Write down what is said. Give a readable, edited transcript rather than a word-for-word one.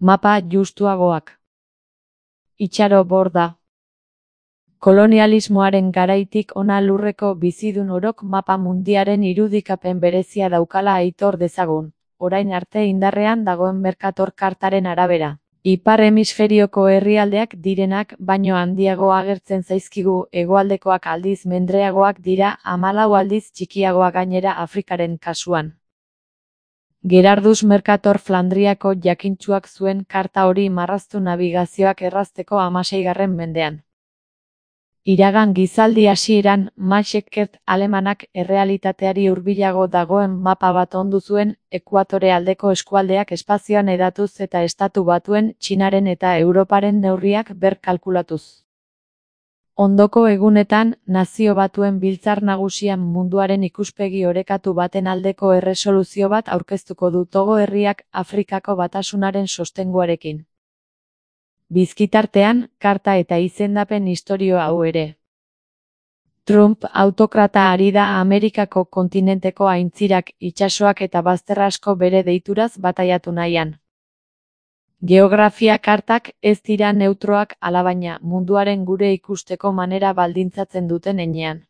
Mapa justuagoak. Itxaro borda. Kolonialismoaren garaitik hona lurreko bizidun orok mapa mundiaren irudikapen berezia daukala aitor dezagun, orain arte indarrean dagoen Mercator kartaren arabera. Ipar hemisferioko herrialdeak direnak baino handiago agertzen zaizkigu, hegoaldekoak aldiz mendreagoak dira, 14 aldiz txikiagoa gainera Afrikaren kasuan. Gerardus Mercator Flandriako jakintsuak zuen karta hori marraztu nabigazioak errazteko 16. mendean. Iragan gizaldi hasieran, Max Eckert alemanak errealitateari hurbilago dagoen mapa bat ondu zuen, ekuatore aldeko eskualdeak espazioan hedatuz eta Estatu Batuen, Txinaren eta Europaren neurriak berkalkulatuz. Ondoko egunetan, Nazio Batuen Biltzar Nagusian munduaren ikuspegi orekatu baten aldeko erresoluzio bat aurkeztuko du Togo herriak Afrikako Batasunaren sostenguarekin. Bizkitartean, karta eta izendapen istorio hau ere. Trump autokrata ari da Amerikako kontinenteko aintzirak, itsasoak eta bazter asko bere deituraz bataiatu nahian. Geografia kartak ez dira neutroak alabaina munduaren gure ikusteko manera baldintzatzen duten heinean.